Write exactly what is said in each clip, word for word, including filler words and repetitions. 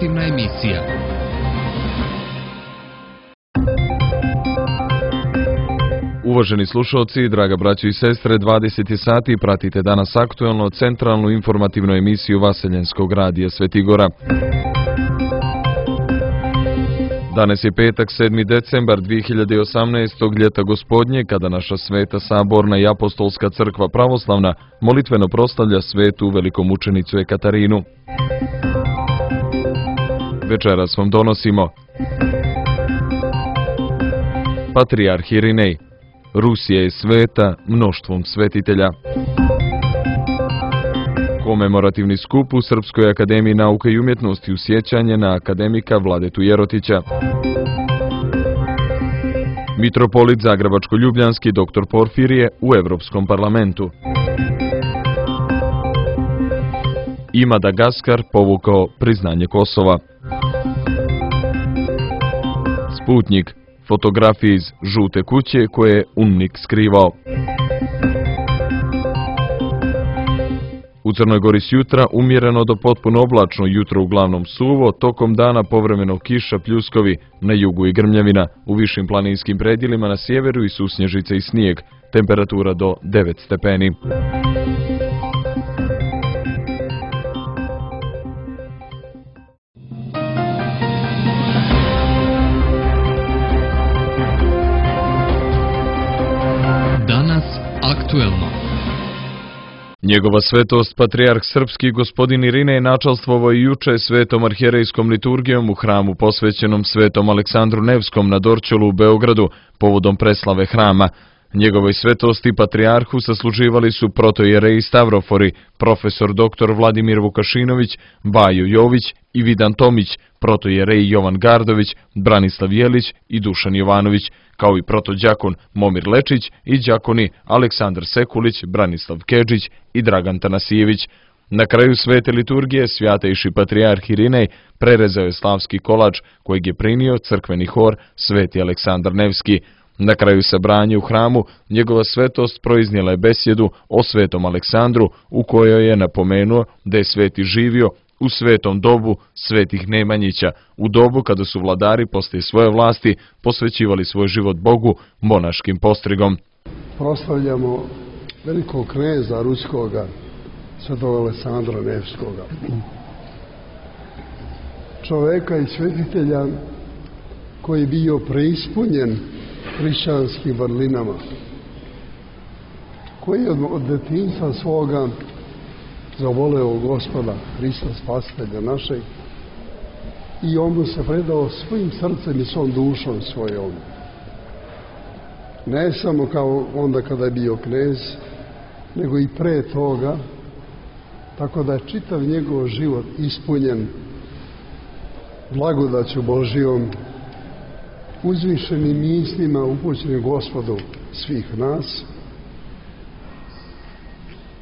informativna emisija. Uvaženi slušalci, draga braćo i sestre, dvadeset je sati, pratite danas aktuelno centralnu informativnu emisiju Vaseljenskog radija Svetigora. Danas je petak, sedmi decembar dve hiljade osamnaestog. ljeta gospodnje, kada naša sveta saborna i apostolska crkva pravoslavna molitveno proslavlja svetu velikomučenicu Ekaterinu. Večeras vam donosimo Patrijarh Irinej. Rusija je sveta mnoštvom svetitelja. Komemorativni skup u Srpskoj akademiji nauke i umjetnosti u sjećanje na akademika Vladetu Jerotića. Mitropolit Zagrebačko-Ljubljanski doktor Porfirije u Evropskom parlamentu. I Madagaskar povukao priznanje Kosova. Sputnjik. Fotografije iz žute kuće koje je UNMIK skrivao. U Crnoj Gori s jutra umjereno do potpuno oblačno, jutro uglavnom suvo, tokom dana povremeno kiša, pljuskovi, na jugu i grmljavina, u višim planinskim predjelima na sjeveru i susnježice i snijeg, temperatura do devet stepeni. Danas aktuelno. Njegova svetost, patrijarh srpski gospodin Irinej, načalstvovao i juče svetom arhijerejskom liturgijom u hramu posvećenom svetom Aleksandru Nevskom na Dorćolu u Beogradu povodom preslave hrama. Njegovoj svetosti patrijarhu sasluživali su protojereji Stavrofori, profesor doktor Vladimir Vukašinović, Bajo Jović i Vidan Tomić, protojereji Jovan Gardović, Branislav Jelić i Dušan Jovanović, kao i protodjakon Momir Lečić i đakoni Aleksandar Sekulić, Branislav Kedžić i Dragan Tanasijević. Na kraju svete liturgije svjatejši patrijarh Irinej prerezao je slavski kolač kojeg je prinio crkveni hor Sveti Aleksandar Nevski. Na kraju sabranja u hramu njegova svetost proiznijela je besjedu o svetom Aleksandru u kojoj je napomenuo da je sveti živio u svetom dobu svetih Nemanjića, u dobu kada su vladari poslije svoje vlasti posvećivali svoj život Bogu monaškim postrigom. Proslavljamo velikog kneza ruskoga, svetog Aleksandra Nevskoga. Čoveka i svetitelja koji je bio preispunjen hrišćanskim vrlinama, koji je od detinjstva svoga zavoleo Gospoda, Hrista Spasitelja našeg, i on mu se predao svojim srcem i svom dušom svojom. Ne samo kao onda kada je bio knez, nego i pre toga, tako da je čitav njegov život ispunjen blagodaću Božijom, uzvišenim mislima upućenim Gospodu svih nas.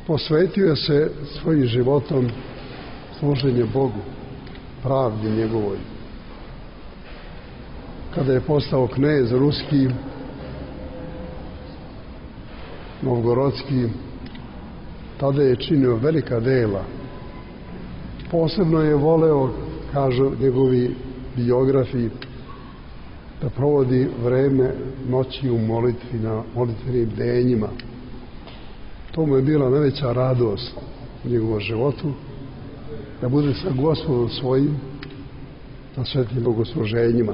Posvetio se svojim životom služenju Bogu, pravdi njegovoj. Kada je postao knez ruski, novgorodski, tada je činio velika dela. Posebno je voleo, kažu njegovi biografi, da provodi vreme noći u molitvi, na molitvenim denjima. To mu je bila najveća radost u njegovom životu, da bude sa Gospodom svojim na svetim bogosluženjima.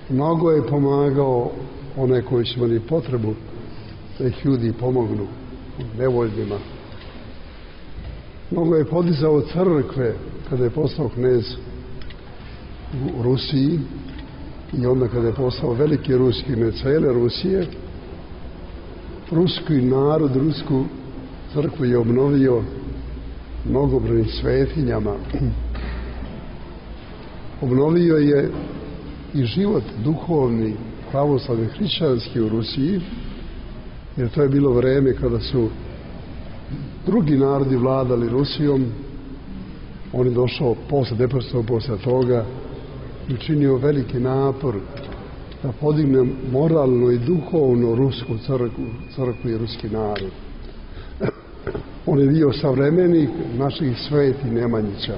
Mnogo je pomagao one koji su imali potrebu da ih ljudi pomognu, nevoljnima. Mnogo je podizao crkve kada je postao knez u Rusiji i onda kada je postao veliki ruski, ne cele Rusije. Ruski narod, rusku crkvu je obnovio mnogobrojnim svetinjama. Obnovio je i život duhovni, pravoslavni, hrišćanski u Rusiji, jer to je bilo vreme kada su drugi narodi vladali Rusijom. On je došao posle, neposredno posle toga, i učinio veliki napor da podigne moralno i duhovno rusku crkvu, crkvu i ruski narod. On je bio savremenik naših sveti Nemanjića.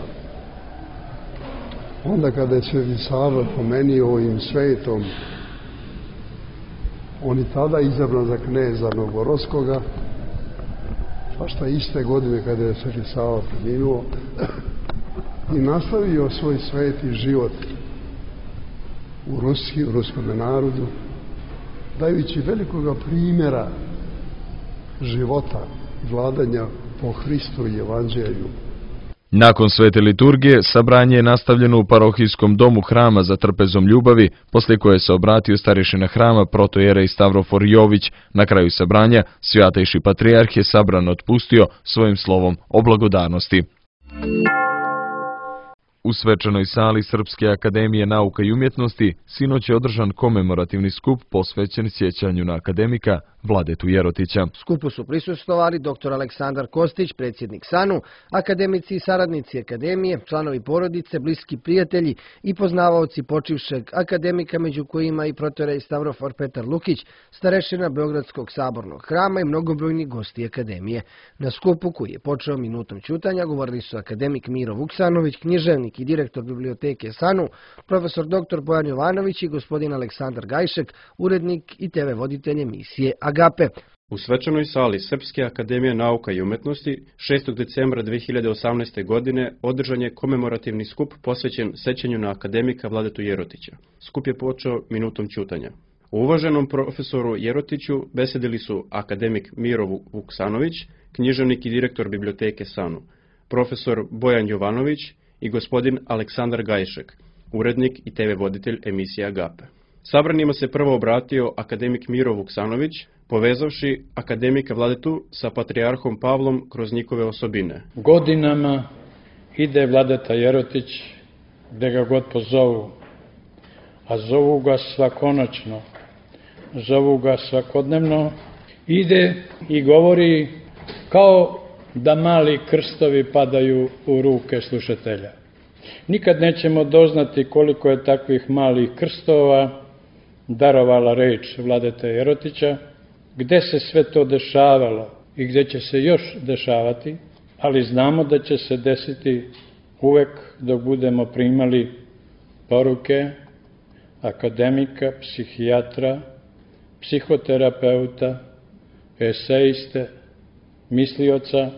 Onda kada je Sveti Sava pomenio ovim svetom, on je tada izabran za kneza Novgorodskoga, pa šta iste godine kada je Sveti Sava preminuo, i nastavio svoj sveti život u Rusiji, u ruskom narodu, dajući velikoga primjera života i vladanja po Hristu i Evanđelju. Nakon svete liturgije, sabranje je nastavljeno u parohijskom domu hrama za trpezom ljubavi, poslije koje se obratio starješina hrama protojerej Stavrofor Jović. Na kraju sabranja, svjatejši patrijarh je sabran otpustio svojim slovom o blagodarnosti. U svečanoj sali Srpske akademije nauka i umjetnosti sinoć je održan komemorativni skup posvećen sjećanju na akademika Vladetu Jerotića. Skupu su prisustvovali doktor Aleksandar Kostić, predsjednik SANU, akademici i saradnici akademije, članovi porodice, bliski prijatelji i poznavaoci počivšeg akademika, među kojima i protojerej Stavrofor Petar Lukić, starešina Beogradskog sabornog hrama i mnogobrojni gosti akademije. Na skupu, koji je počeo minutom ćutanja, govorili su akademik Miro Vuksanović, književnik i direktor biblioteke SANU, profesor doktor Bojan Jovanović i gospodin Aleksandar Gajšek, urednik i te ve voditelj emisije Agape. U svečanoj sali Srpske akademije nauka i umjetnosti šestog decembra dve hiljade osamnaeste. godine održan je komemorativni skup posvećen sećanju na akademika Vladetu Jerotića. Skup je počeo minutom ćutanja. U uvaženom profesoru Jerotiću besedili su akademik Miro Vuksanović, književnik i direktor biblioteke SANU, profesor Bojan Jovanović i gospodin Aleksandar Gajšek, urednik i te ve voditelj emisije Agape. Sabranima se prvo obratio akademik Miro Vuksanović, povezavši akademika Vladetu sa patrijarhom Pavlom kroz njihove osobine. Godinama ide Vladeta Jerotić gde ga god pozovu, a zovu ga svakonoćno, zovu ga svakodnevno, ide i govori kao da mali krstovi padaju u ruke slušatelja. Nikad nećemo doznati koliko je takvih malih krstova darovala reč Vladete Jerotića, gde se sve to dešavalo i gde će se još dešavati, ali znamo da će se desiti uvek dok budemo primali poruke akademika, psihijatra, psihoterapeuta, eseiste, mislioca,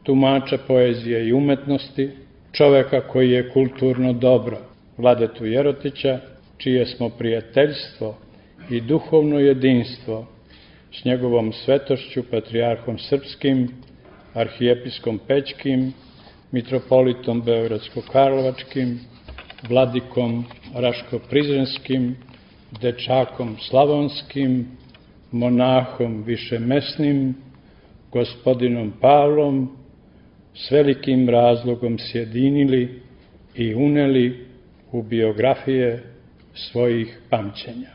tumača poezije i umetnosti, čoveka koji je kulturno dobro, Vladetu Jerotića, čije smo prijateljstvo i duhovno jedinstvo s njegovom svetošću, patrijarhom srpskim, arhijepiskom Pećkim, mitropolitom Beogradsko-Karlovačkim, vladikom Raško-Prizrenskim, dečakom Slavonskim, monahom višemesnim, gospodinom Pavlom, s velikim razlogom sjedinili i uneli u biografije svojih pamćenja.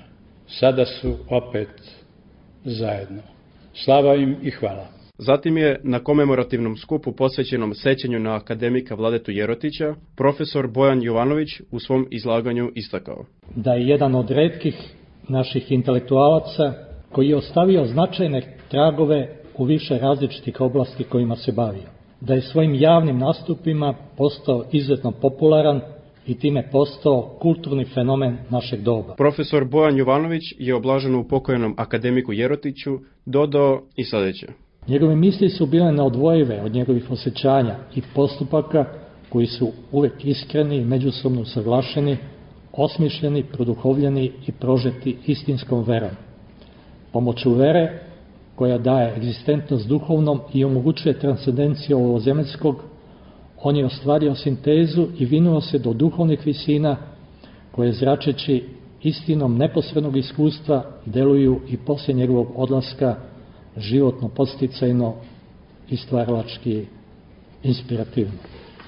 Sada su opet zajedno. Slava im i hvala. Zatim je na komemorativnom skupu posvećenom sećanju na akademika Vladetu Jerotića profesor Bojan Jovanović u svom izlaganju istakao da je jedan od retkih naših intelektualaca koji je ostavio značajne tragove u više različitih oblasti kojima se bavio. Da je svojim javnim nastupima postao izuzetno popularan i time postao kulturni fenomen našeg doba. Profesor Bojan Jovanović je oblažen u pokojnom akademiku Jerotiću dodao i sljedeće. Njegove misli su bile neodvojive od njegovih osjećanja i postupaka koji su uvek iskreni i međusobno usaglašeni, osmišljeni, produhovljeni i prožeti istinskom verom. Pomoću vere, koja daje egzistentnost duhovnom i omogućuje transcendenciju ovozemaljskog, on je ostvario sintezu i vinuo se do duhovnih visina koje, zračeći istinom neposrednog iskustva, deluju i poslije njegovog odlaska životno podsticajno i stvaralački inspirativno.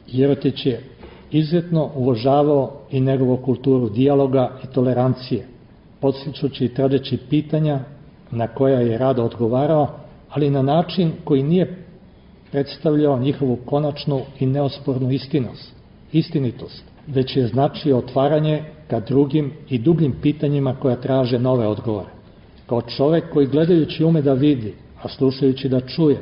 Jerotić je izuzetno uvažavao i njegovu kulturu dijaloga i tolerancije, podstičući i tražeći pitanja na koja je rado odgovarao, ali na način koji nije predstavljao njihovu konačnu i neospornu istinost, istinitost, već je značio otvaranje ka drugim i dubljim pitanjima koja traže nove odgovore. Kao čovek koji gledajući ume da vidi, a slušajući da čuje,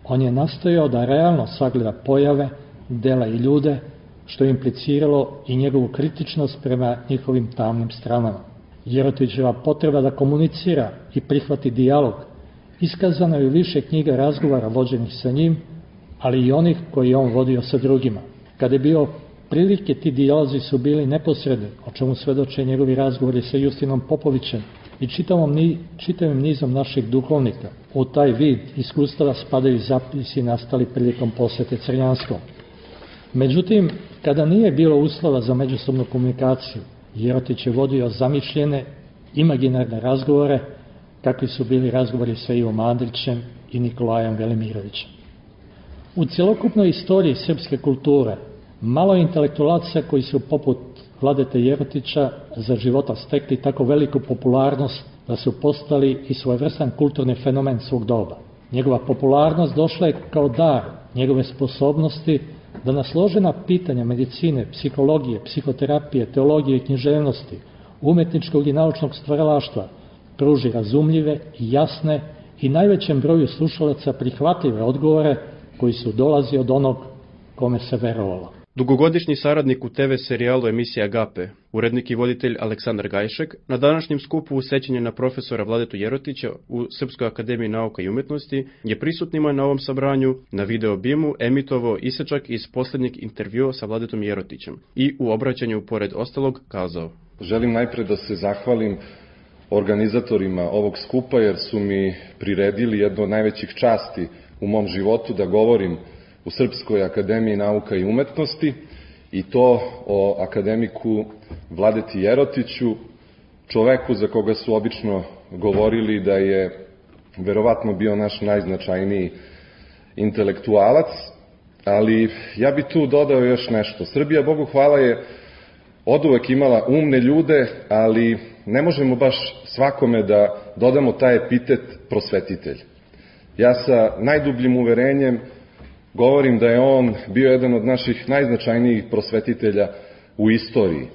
on je nastojao da realno sagleda pojave, dela i ljude, što je impliciralo i njegovu kritičnost prema njihovim tamnim stranama. Jerotićeva potreba da komunicira i prihvati dijalog iskazana je u više knjiga razgovara vođenih sa njim, ali i onih koji je on vodio sa drugima. Kada je bio prilike, ti dijalozi su bili neposredni, o čemu svedoče njegovi razgovori sa Justinom Popovićem i čitavom, čitavim nizom naših duhovnika. U taj vid iskustava spadaju zapisi nastali prilikom posete Crnjanskom. Međutim, kada nije bilo uslova za međusobnu komunikaciju, Jerotić je vodio zamišljene, imaginarne razgovore, kakvi su bili razgovori sa Ivom Andrićem i Nikolajem Velimirovićem. U cjelokupnoj istoriji srpske kulture malo je intelektualaca koji su poput Vladete Jerotića za života stekli tako veliku popularnost da su postali i svojevrstan kulturni fenomen svog doba. Njegova popularnost došla je kao dar njegove sposobnosti da na složena pitanja medicine, psihologije, psihoterapije, teologije i književnosti, umetničkog i naučnog stvaralaštva pruži razumljive i jasne i najvećem broju slušalaca prihvatljive odgovore koji su dolazi od onog kome se verovalo. Dugogodišnji saradnik u te ve serijalu emisija Agape, urednik i voditelj Aleksandar Gajšek, na današnjem skupu u sećanje na profesora Vladetu Jerotića u Srpskoj akademiji nauka i umetnosti je prisutnima na ovom sabranju na video bimu emitovao isečak iz posljednjeg intervjua sa Vladetom Jerotićem i u obraćanju pored ostalog kazao: Želim najpre da se zahvalim organizatorima ovog skupa jer su mi priredili jedno od najvećih časti u mom životu da govorim u Srpskoj akademiji nauka i umetnosti, i to o akademiku Vladeti Jerotiću, čoveku za koga su obično govorili da je verovatno bio naš najznačajniji intelektualac, ali ja bi tu dodao još nešto. Srbija, Bogu hvala, je oduvek imala umne ljude, ali ne možemo baš svakome da dodamo taj epitet prosvetitelj. Ja sa najdubljim uverenjem govorim da je on bio jedan od naših najznačajnijih prosvetitelja u istoriji.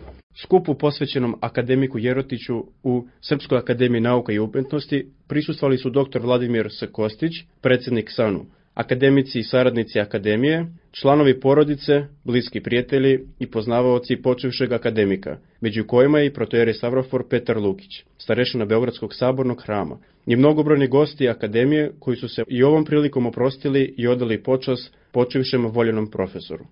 Skupu posvećenom akademiku Jerotiću u Srpskoj akademiji nauka i umetnosti prisustvovali su doktor Vladimir S. Kostić, predsjednik SANU, akademici i saradnici akademije, članovi porodice, bliski prijatelji i poznavaoci počivšeg akademika, među kojima je i protoijerej Stavrofor Petar Lukić, starešina Beogradskog sabornog hrama, i mnogobrojni gosti akademije koji su se i ovom prilikom oprostili i odali počast počivšem voljenom profesoru.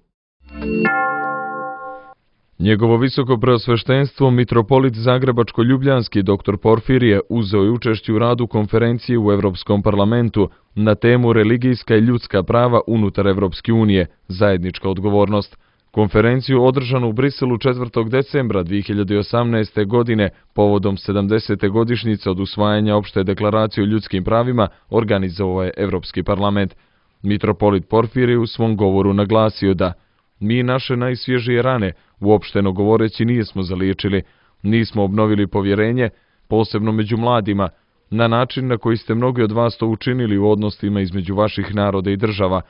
Njegovo visoko preosveštenstvo mitropolit Zagrebačko-Ljubljanski dr Porfirije uzeo je učešće u radu konferencije u Evropskom parlamentu na temu religijska i ljudska prava unutar Evropske unije, zajednička odgovornost. Konferenciju održanu u Briselu četvrtog decembra dve hiljade osamnaeste. godine povodom sedamdesete godišnjice od usvajanja opšte deklaracije o ljudskim pravima organizovao je Evropski parlament. Mitropolit Porfirije u svom govoru naglasio da mi naše najsvježije rane, uopšteno govoreći, nismo zaliječili, nismo obnovili povjerenje, posebno među mladima, na način na koji ste mnogi od vas to učinili u odnosima između vaših naroda i država.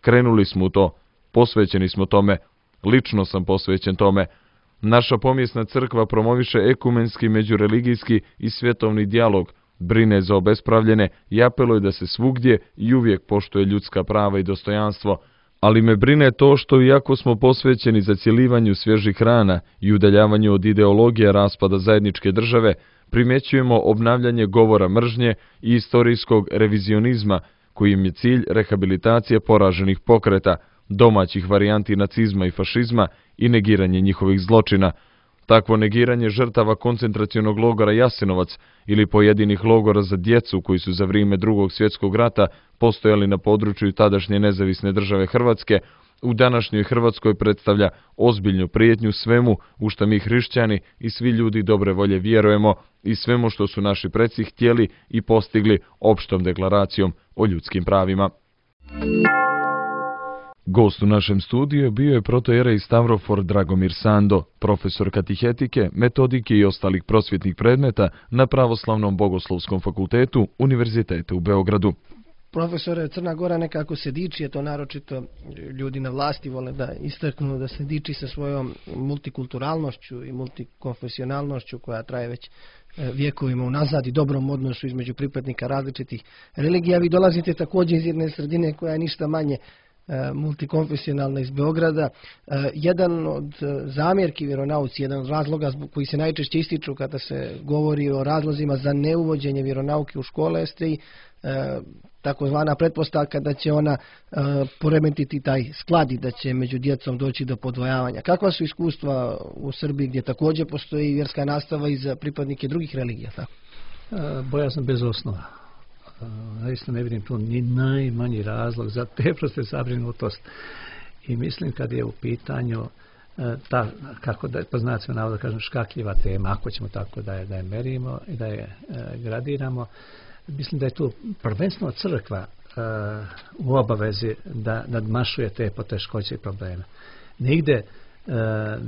Krenuli smo u to, posvećeni smo tome, lično sam posvećen tome. Naša pomjesna crkva promoviše ekumenski, međureligijski i svjetovni dijalog, brine za obespravljene i apeluje da se svugdje i uvijek poštuje ljudska prava i dostojanstvo. Ali me brine to što, iako smo posvećeni zacjelivanju svježih rana i udaljavanju od ideologije raspada zajedničke države, primjećujemo obnavljanje govora mržnje i istorijskog revizionizma, kojim je cilj rehabilitacije poraženih pokreta, domaćih varijanti nacizma i fašizma i negiranje njihovih zločina. Takvo negiranje žrtava koncentracionog logora Jasenovac ili pojedinih logora za djecu koji su za vrijeme Drugog svjetskog rata postojali na području tadašnje nezavisne države Hrvatske, u današnjoj Hrvatskoj predstavlja ozbiljnu prijetnju svemu u što mi hrišćani i svi ljudi dobre volje vjerujemo i svemu što su naši preci htjeli i postigli opštom deklaracijom o ljudskim pravima. Gost u našem studiju bio je protoijerej Stavrofor Dragomir Sando, profesor katihetike, metodike i ostalih prosvjetnih predmeta na Pravoslavnom bogoslovskom fakultetu Univerziteta u Beogradu. Profesore, Crna Gora nekako se diči, je to naročito ljudi na vlasti vole da istaknu da se diči sa svojom multikulturalnošću i multikonfesionalnošću koja traje već vjekovima unazad i dobrom odnosu između pripadnika različitih religija. Vi dolazite također iz jedne sredine koja je ništa manje multikonfesionalna iz Beograda. Jedan od zamjerki vjeronauci, jedan od razloga koji se najčešće ističu kada se govori o razlozima za neuvođenje vjeronauke u škole jeste i takozvana pretpostavka da će ona poremetiti taj sklad i da će među djecom doći do podvojavanja. Kakva su iskustva u Srbiji gdje također postoji vjerska nastava i za pripadnike drugih religija? Tako? Bojazno bez osnova. Zaista ne vidim tu ni najmanji razlog za te proste zabrinutost. I mislim kad je u pitanju ta, kako da po znacima navoda kažem, škakljiva tema, ako ćemo tako da je, da je merimo i da je e, gradiramo, mislim da je tu prvenstveno crkva e, u obavezi da nadmašuje te poteškoće i probleme. Nigde e,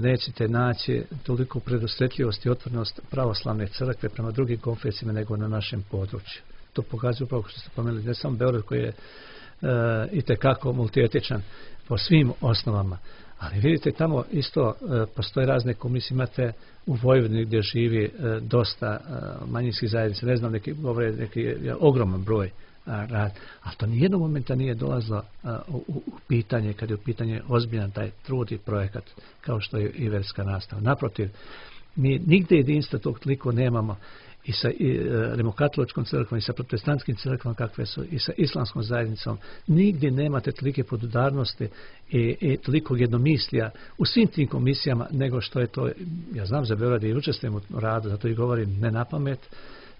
nećete naći toliko predosjetljivost i otvornost pravoslavne crkve prema drugim konfesijama nego na našem području. To pokazuje upravo što ste pomenuli, ne samo Beograd koji je e, itekako multietičan po svim osnovama. Ali vidite, tamo isto e, postoje razne komisije, imate u Vojvodini gdje živi e, dosta e, manjinskih zajednica, ne znam, neki govore neki je, ogroman broj a, rad, ali to nijednog momenta nije dolazilo a, u, u pitanje, kad je u pitanje ozbiljan taj trud i projekat, kao što je i vjerska nastava. Naprotiv, mi nigdje jedinstva tog toliko nemamo i sa i, e, rimokatoličkom crkvom i sa protestantskim crkvom kakve su i sa islamskom zajednicom. Nigdje nemate tolike podudarnosti i, i toliko jednomislija u svim tim komisijama nego što je to, ja znam za Beograd i učestvujem u radu, zato i govorim ne na pamet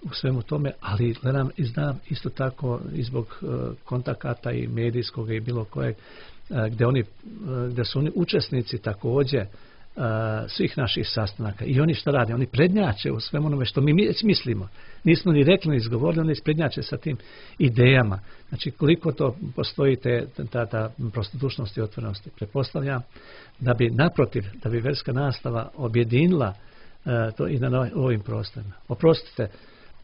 u svemu tome, ali gledam i znam isto tako i zbog uh, kontakata i medijskog i bilo kojeg uh, gdje, oni, uh, gdje su oni učesnici također Uh, svih naših sastanaka i oni što rade, oni prednjače u svemu onome što mi mislimo, nismo ni rekli ni izgovorili, oni prednjače sa tim idejama. Znači koliko to postoji te, ta, ta prostodušnost i otvorenost, pretpostavljam da bi naprotiv, da bi vjerska nastava objedinila uh, to i na ovim prostorima. Oprostite,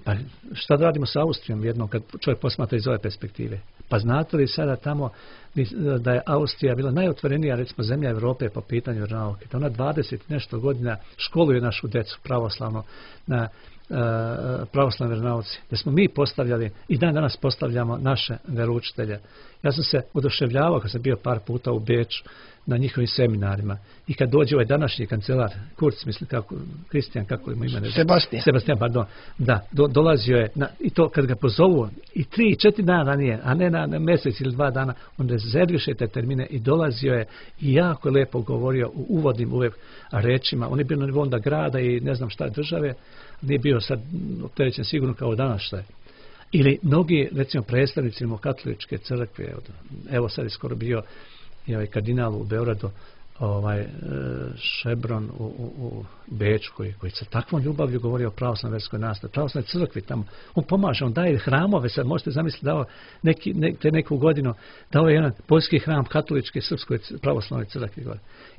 pa šta da radimo sa Austrijom jednom kad čovjek posmatra iz ove perspektive? Pa znate li sada tamo da je Austrija bila najotvorenija recimo zemlja Europe po pitanju vjeronauke? Da ona dvadeset nešto godina školuje našu djecu pravoslavno na uh, pravoslavnoj vjeronauci. Da smo mi postavljali i dan danas postavljamo naše vjeroučitelje. Ja sam se oduševljavao kad sam bio par puta u Beču na njihovim seminarima i kad dođe ovaj današnji kancelar Kurz, mislim kako Kristijan, kako ima ime, Sebastian. Sebastian, pardon. Da, do, dolazio je na, i to kad ga pozovu i tri, četiri dana ranije, a ne na, na mjesec ili dva dana, on rezerviše te termine i dolazio je i jako je lepo govorio u uvodnim uvijek rečima. On je bio na nivou onda grada i ne znam šta države, nije bio sad opterećen sigurno kao danas šta je. Ili mnogi, recimo, predstavnici katoličke crkve, evo sad je skoro bio i ovaj kardinal u Beogradu, ovaj Šebron u, u, u Beču, koji, koji sa takvom ljubavlju govori o pravoslavnoj vjerskoj nastavi, pravoslavnoj crkvi tamo. On pomaže, on daje hramove, sad možete zamisliti dao neki, ne, te neku godinu, dao je jedan poljski hram katoličke srpskoj pravoslavnoj crkvi.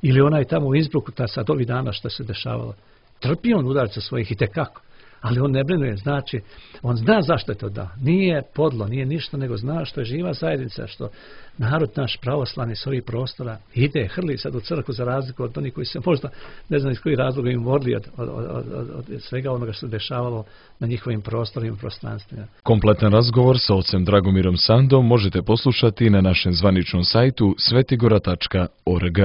Ili onaj tamo u Innsbrucku, ta sad ovih dana što se dešavalo. Trpi on udarca svojih i tekako. Ali on ne brinuje, znači, on zna zašto je to da. Nije podlo, nije ništa, nego zna što je živa zajednica, što narod naš pravoslavni s ovih prostora ide, hrli sad u crkvu za razliku od onih koji se možda, ne znam iz kojih razloga im vodili od, od, od, od, od svega onoga što se dešavalo na njihovim prostorima i prostranstvima. Kompletan razgovor sa ocem Dragomirom Sandom možete poslušati na našem zvaničnom sajtu svetigora tačka org.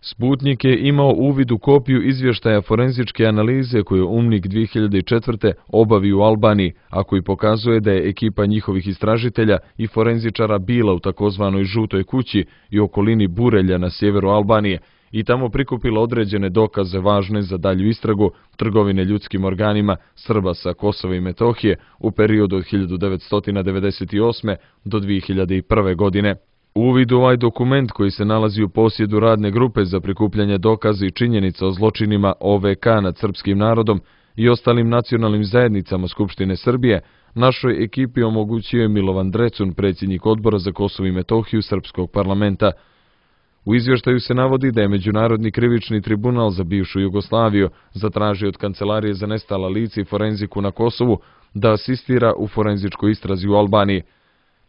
Sputnik je imao uvid u kopiju izvještaja forenzičke analize koju je UNMIK dvije hiljade četvrte obavio u Albaniji, a koji pokazuje da je ekipa njihovih istražitelja i forenzičara bila u takozvanoj žutoj kući i okolini Burelja na sjeveru Albanije i tamo prikupila određene dokaze važne za dalju istragu trgovine ljudskim organima Srba sa Kosova i Metohije u periodu od hiljadu devetsto devedeset osme do dvije hiljade prve. godine. Uvid u ovaj dokument koji se nalazi u posjedu radne grupe za prikupljanje dokaza i činjenica o zločinima O V K nad srpskim narodom i ostalim nacionalnim zajednicama Skupštine Srbije, našoj ekipi omogućio je Milovan Drecun, predsjednik odbora za Kosovo i Metohiju Srpskog parlamenta. U izvještaju se navodi da je Međunarodni krivični tribunal za bivšu Jugoslaviju zatražio od Kancelarije za nestala lica i forenziku na Kosovu da asistira u forenzičkoj istrazi u Albaniji.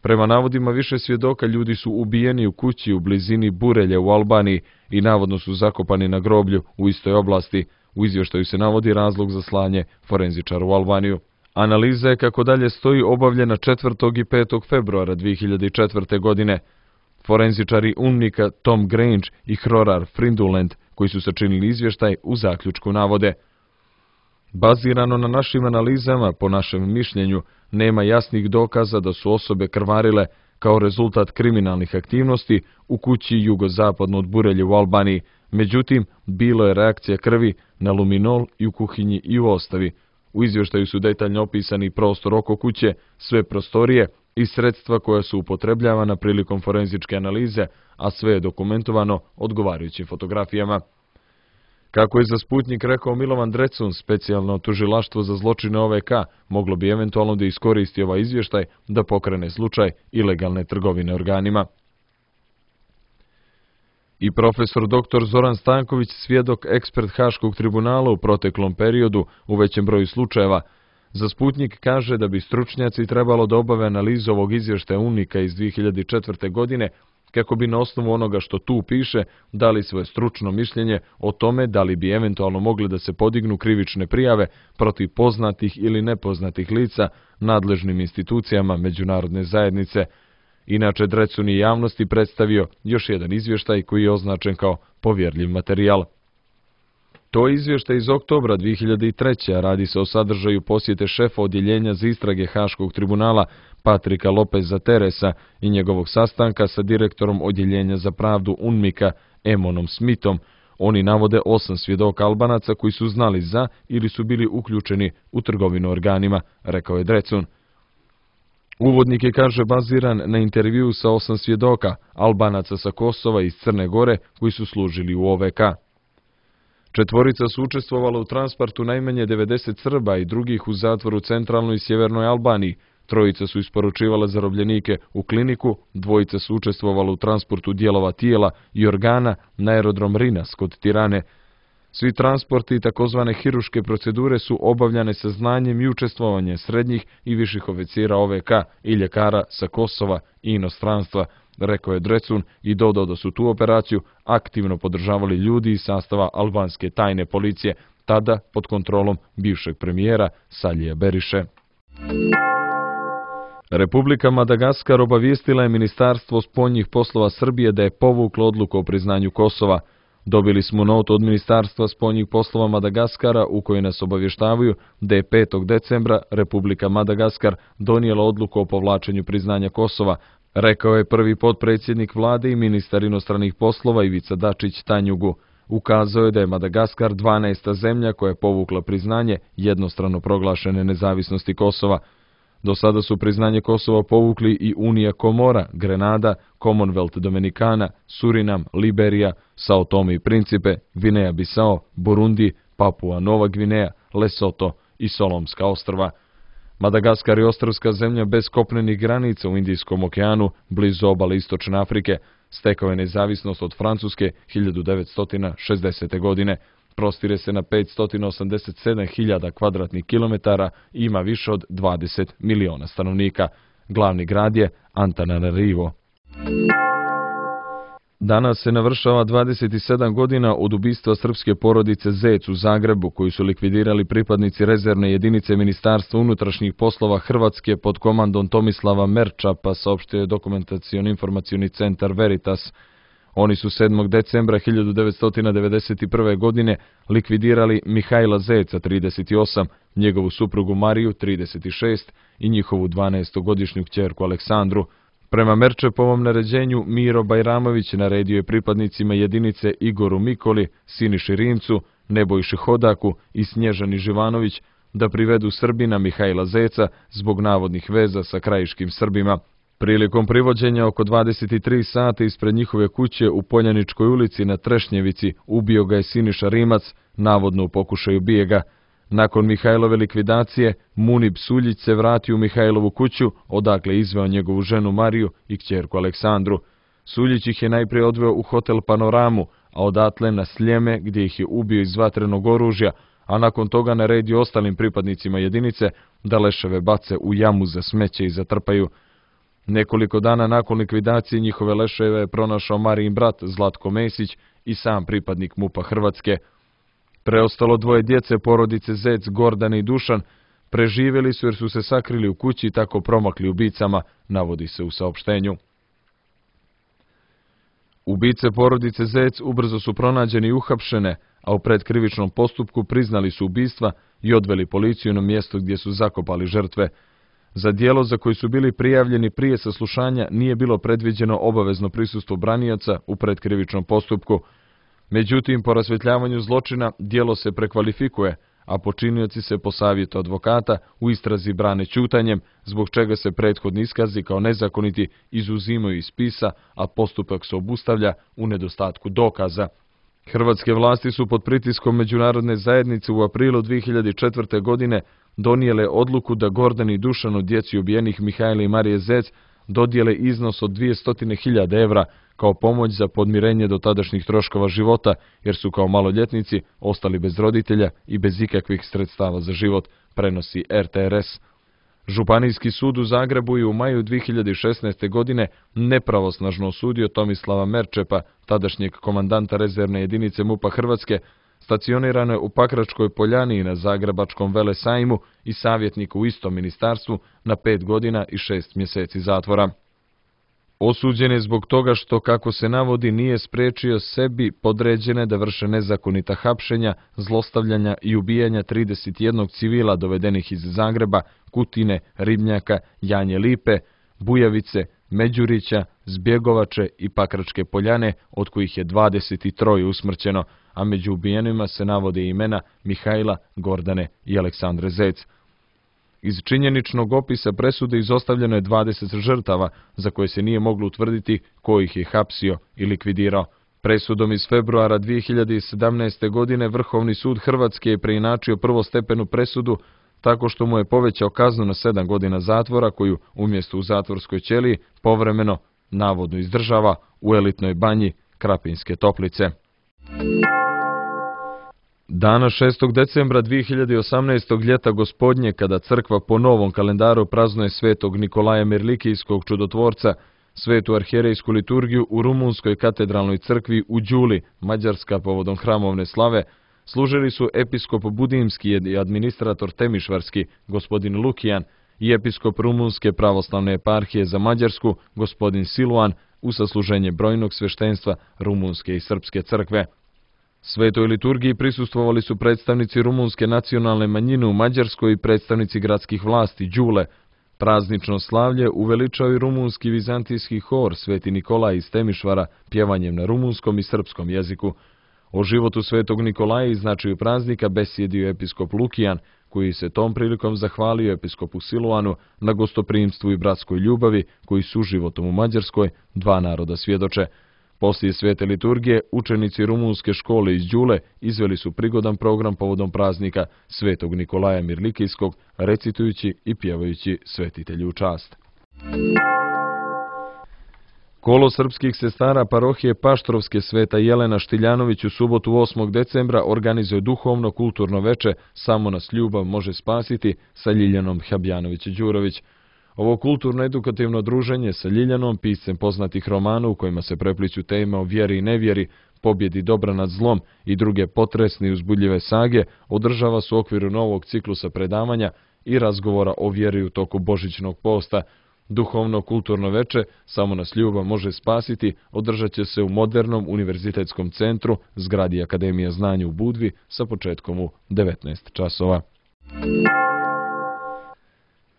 Prema navodima više svjedoka, ljudi su ubijeni u kući u blizini Burelja u Albaniji i navodno su zakopani na groblju u istoj oblasti. U izvještaju se navodi razlog za slanje forenzičara u Albaniju. Analiza je, kako dalje stoji, obavljena četvrtog i petog februara dvije hiljade četvrte. godine. Forenzičari UNMIK-a Tom Grange i Hrorar Fryndulent, koji su sačinili izvještaj, u zaključku navode: bazirano na našim analizama, po našem mišljenju, nema jasnih dokaza da su osobe krvarile kao rezultat kriminalnih aktivnosti u kući jugozapadno od Burelje u Albaniji. Međutim, bilo je reakcija krvi na luminol i u kuhinji i u ostavi. U izvještaju su detaljno opisani prostor oko kuće, sve prostorije i sredstva koja su upotrebljavana prilikom forenzičke analize, a sve je dokumentovano odgovarajućim fotografijama. Kako je za Sputnjik rekao Milovan Drecun, specijalno tužilaštvo za zločine O V K moglo bi eventualno da iskoristi ovaj izvještaj da pokrene slučaj ilegalne trgovine organima. I profesor doktor Zoran Stanković, svjedok ekspert Haškog tribunala u proteklom periodu u većem broju slučajeva, za Sputnjik kaže da bi stručnjaci trebalo da obave analizu ovog izvještaja UNMIK-a iz dvije hiljade četvrte. godine, kako bi na osnovu onoga što tu piše dali svoje stručno mišljenje o tome da li bi eventualno mogli da se podignu krivične prijave protiv poznatih ili nepoznatih lica nadležnim institucijama međunarodne zajednice. Inače, Drecun je javnosti predstavio još jedan izvještaj koji je označen kao povjerljiv materijal. To je izvještaj iz oktobra dvije hiljade treće. a radi se o sadržaju posjete šefa odjeljenja za istrage Haškog tribunala Patrika Lopeza Teresa i njegovog sastanka sa direktorom odjeljenja za pravdu UNMIK-a Emonom Smithom. Oni navode osam svjedoka Albanaca koji su znali za ili su bili uključeni u trgovinu organima, rekao je Drecun. Uvodnik je, kaže, baziran na intervju sa osam svjedoka Albanaca sa Kosova i iz Crne Gore koji su služili u O V K. Četvorica su učestvovala u transportu najmanje devedeset Srba i drugih u zatvoru u centralnoj i sjevernoj Albaniji. Trojica su isporučivala zarobljenike u kliniku, dvojica su učestvovala u transportu dijelova tijela i organa na aerodrom Rinas kod Tirane. Svi transporti i takozvane hiruške procedure su obavljane sa znanjem i učestvovanjem srednjih i viših oficira O V K i ljekara sa Kosova i inostranstva, rekao je Drecun i dodao da su tu operaciju aktivno podržavali ljudi iz sastava albanske tajne policije, tada pod kontrolom bivšeg premijera Salija Beriše. Republika Madagaskar obavijestila je Ministarstvo spoljnih poslova Srbije da je povuklo odluku o priznanju Kosova. Dobili smo notu od Ministarstva spoljnih poslova Madagaskara u kojoj nas obavještavaju da je petog decembra Republika Madagaskar donijela odluku o povlačenju priznanja Kosova, rekao je prvi potpredsjednik vlade i ministar inostranih poslova Ivica Dačić Tanjugu. Ukazao je da je Madagaskar dvanaesta zemlja koja je povukla priznanje jednostrano proglašene nezavisnosti Kosova. Do sada su priznanje Kosova povukli i Unija Komora, Grenada, Commonwealth Dominikana, Surinam, Liberija, Sao Tome i Principe, Gvineja Bisao, Burundi, Papua Nova Gvineja, Lesoto i Solomska ostrva. Madagaskar je ostrvska zemlja bez kopnenih granica u Indijskom okeanu, blizu obale Istočne Afrike. Stekao je nezavisnost od Francuske hiljadu devetsto šezdesete. godine. Prostire se na petsto osamdeset sedam hiljada kvadratnih kilometara i ima više od dvadeset miliona stanovnika. Glavni grad je Antananarivo. Danas se navršava dvadeset sedam godina od ubistva srpske porodice Zec u Zagrebu, koju su likvidirali pripadnici rezervne jedinice Ministarstva unutrašnjih poslova Hrvatske pod komandom Tomislava Merčapa, saopštio je dokumentacioni-informacioni centar Veritas. Oni su sedmog decembra hiljadu devetsto devedeset prve. godine likvidirali Mihajla Zeca, trideset osam, njegovu suprugu Mariju, trideset šest, i njihovu dvanaestogodišnju kćerku Aleksandru. Prema Merčepovom naređenju, Miro Bajramović naredio je pripadnicima jedinice Igoru Mikoli, Siniši Rimcu, Nebojši Hodaku i Snježani Živanović da privedu Srbina Mihajla Zeca zbog navodnih veza sa krajiškim Srbima. Prilikom privođenja oko dvadeset tri sata ispred njihove kuće u Poljaničkoj ulici na Trešnjevici ubio ga je Siniša Rimac, navodno u pokušaju bijega. Nakon Mihajlove likvidacije, Munib Suljić se vratio u Mihajlovu kuću, odakle izveo njegovu ženu Mariju i kćerku Aleksandru. Suljić ih je najprije odveo u hotel Panoramu, a odatle na Sljeme, gdje ih je ubio iz vatrenog oružja, a nakon toga naredio ostalim pripadnicima jedinice da leševe bace u jamu za smeće i zatrpaju. Nekoliko dana nakon likvidacije njihove leševe je pronašao Marijin brat Zlatko Mesić i sam pripadnik MUP-a Hrvatske. Preostalo dvoje djece porodice Zec, Gordana i Dušan, Preživjeli su jer su se sakrili u kući i tako promakli ubicama, navodi se u saopštenju. Ubice porodice Zec ubrzo su pronađeni i uhapšene, a u predkrivičnom postupku priznali su ubistva i odveli policiju na mjesto gdje su zakopali žrtve. Za djelo za koji su bili prijavljeni prije saslušanja nije bilo predviđeno obavezno prisustvo branioca u predkrivičnom postupku. Međutim, po rasvjetljavanju zločina djelo se prekvalifikuje, a počinioci se po savjetu advokata u istrazi brane ćutanjem, zbog čega se prethodni iskazi kao nezakoniti izuzimaju iz spisa, a postupak se obustavlja u nedostatku dokaza. Hrvatske vlasti su pod pritiskom međunarodne zajednice u aprilu dvije hiljade četvrte. godine donijele odluku da Gordani Dušanu, djeci ubijenih Mihajla i Marije Zec, dodijele iznos od dvjesto hiljada evra kao pomoć za podmirenje dotadašnjih troškova života, jer su kao maloljetnici ostali bez roditelja i bez ikakvih sredstava za život, prenosi er te er es. Županijski sud u Zagrebu je u maju dvije hiljade šesnaeste. godine nepravosnažno osudio Tomislava Merčepa, tadašnjeg komandanta rezervne jedinice MUP-a Hrvatske, stacionirano u Pakračkoj Poljani i na Zagrebačkom Velesajmu, i savjetniku u istom ministarstvu na pet godina i šest mjeseci zatvora. Osuđen je zbog toga što, kako se navodi, nije spriječio sebi podređene da vrše nezakonita hapšenja, zlostavljanja i ubijanja trideset jednog civila dovedenih iz Zagreba, Kutine, Ribnjaka, Janje Lipe, Bujavice, Međurića, Zbjegovače i Pakračke Poljane, od kojih je dvadeset troje usmrćeno, a među ubijenima se navode imena Mihajla, Gordane i Aleksandre Zec. Iz činjeničnog opisa presude izostavljeno je dvadeset žrtava, za koje se nije moglo utvrditi ko ih je hapsio i likvidirao. Presudom iz februara dvije hiljade sedamnaeste. godine Vrhovni sud Hrvatske je preinačio prvostepenu presudu tako što mu je povećao kaznu na sedam godina zatvora, koju umjesto u zatvorskoj ćeliji povremeno navodno izdržava u elitnoj banji Krapinske Toplice. Dana šestog decembra dvije hiljade osamnaeste. ljeta gospodnje, kada crkva po novom kalendaru praznuje svetog Nikolaja Mirlikijskog čudotvorca, svetu arhijerejsku liturgiju u rumunskoj katedralnoj crkvi u Đuli, Mađarska, povodom hramovne slave, služili su episkop Budimski i administrator Temišvarski, gospodin Lukijan, i episkop Rumunske pravoslavne eparhije za Mađarsku, gospodin Siluan, u sasluženje brojnog sveštenstva Rumunske i Srpske crkve. Svetoj liturgiji prisustvovali su predstavnici rumunske nacionalne manjine u Mađarskoj i predstavnici gradskih vlasti Đule. Praznično slavlje uveličao i rumunski vizantijski hor Sveti Nikolaj iz Temišvara pjevanjem na rumunskom i srpskom jeziku. O životu Svetog Nikolaja i značaju praznika besjedio episkop Lukijan, koji se tom prilikom zahvalio episkopu Siluanu na gostoprimstvu i bratskoj ljubavi koji su životom u Mađarskoj dva naroda svjedoče. Poslije svete liturgije, učenici rumunske škole iz Đule izveli su prigodan program povodom praznika Svetog Nikolaja Mirlikijskog, recitujući i pjevajući svetitelju u čast. Kolo srpskih sestara parohije Paštrovske Sveta Jelena Štiljanović u subotu osmog decembra organizuje duhovno kulturno veče Samo nas ljubav može spasiti sa Ljiljanom Habjanović-Đurović. Ovo kulturno-edukativno druženje sa Ljiljanom, piscem poznatih romana u kojima se prepliću teme o vjeri i nevjeri, pobjedi dobra nad zlom i druge potresne i uzbudljive sage, održava se u okviru novog ciklusa predavanja i razgovora o vjeri u toku božićnog posta. Duhovno kulturno veče Samo nas ljubav može spasiti održat će se u modernom univerzitetskom centru, zgradi Akademija znanja u Budvi, sa početkom u devetnaest časova.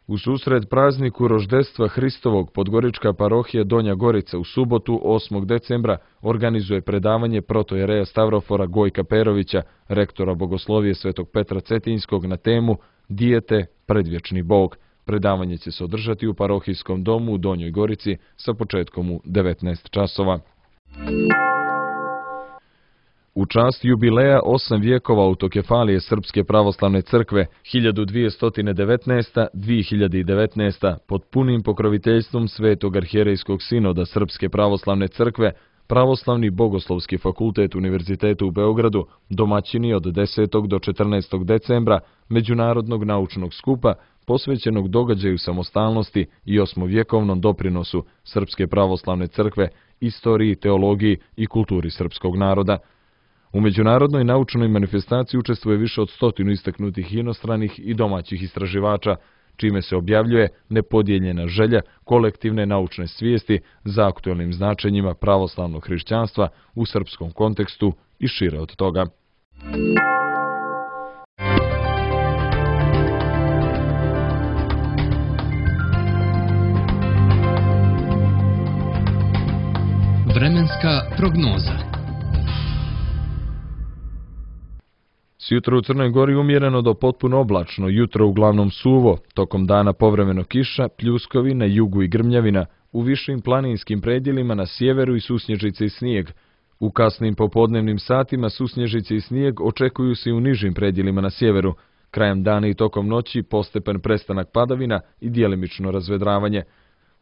U susret prazniku roždestva Hristovog Podgorička parohija Donja Gorica u subotu osmog decembra organizuje predavanje protojereja Stavrofora Gojka Perovića, rektora Bogoslovije Svetog Petra Cetinjskog, na temu Dijete, predvječni Bog. Predavanje će se održati u parohijskom domu u Donjoj Gorici sa početkom u devetnaest časova. U čast jubileja osam vijekova autokefalije Srpske pravoslavne crkve hiljadu dvjesto devetnaesta do dvije hiljade devetnaeste. pod punim pokroviteljstvom Svetog arhijerejskog sinoda Srpske pravoslavne crkve, Pravoslavni bogoslovski fakultet Univerzitetu u Beogradu domaćini od desetog do četrnaestog decembra Međunarodnog naučnog skupa posvećenog događaju samostalnosti i osmovjekovnom doprinosu Srpske pravoslavne crkve, istoriji, teologiji i kulturi srpskog naroda. U međunarodnoj naučnoj manifestaciji učestvuje više od stotinu istaknutih inostranih i domaćih istraživača, čime se objavljuje nepodijeljena želja kolektivne naučne svijesti za aktuelnim značenjima pravoslavnog hrišćanstva u srpskom kontekstu i šire od toga. Vremenska prognoza. Sjutra u Crnoj Gori umjereno do potpuno oblačno, jutro uglavnom suvo, tokom dana povremeno kiša, pljuskovi na jugu i grmljavina, u višim planinskim predjelima na sjeveru i susnježice i snijeg. U kasnim popodnevnim satima susnježice i snijeg očekuju se i u nižim predjelima na sjeveru. Krajem dana i tokom noći postepen prestanak padavina i djelimično razvedravanje.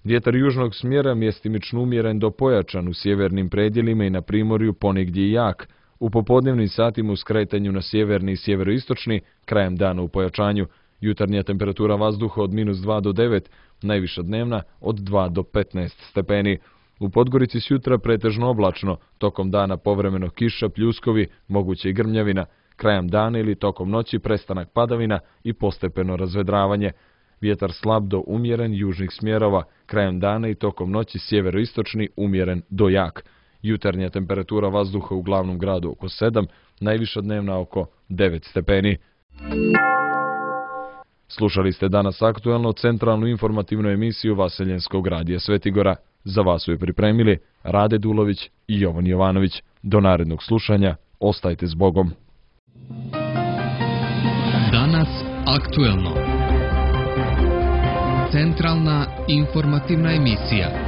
Vjetar južnog smjera mjestimično umjeren do pojačan u sjevernim predjelima i na primorju ponegdje i jak. U popodnevnim satima u skretanju na sjeverni i sjeveroistočni, krajem dana u pojačanju. Jutarnja temperatura vazduha od minus dva do devet, najviša dnevna od dva do petnaest stepeni. U Podgorici sjutra pretežno oblačno, tokom dana povremeno kiša, pljuskovi, moguće i grmljavina. Krajem dana ili tokom noći prestanak padavina i postepeno razvedravanje. Vjetar slab do umjeren južnih smjerova, krajem dana i tokom noći sjeveroistočni umjeren do jak. Jutarnja temperatura vazduha u glavnom gradu oko sedam, najviša dnevna oko devet stepeni. Slušali ste danas aktuelno centralnu informativnu emisiju Vaseljenskog radija Svetigora. Za vas su je pripremili Rade Dulović i Jovan Jovanović. Do narednog slušanja, ostajte s Bogom. Danas aktuelno. Centralna informativna emisija.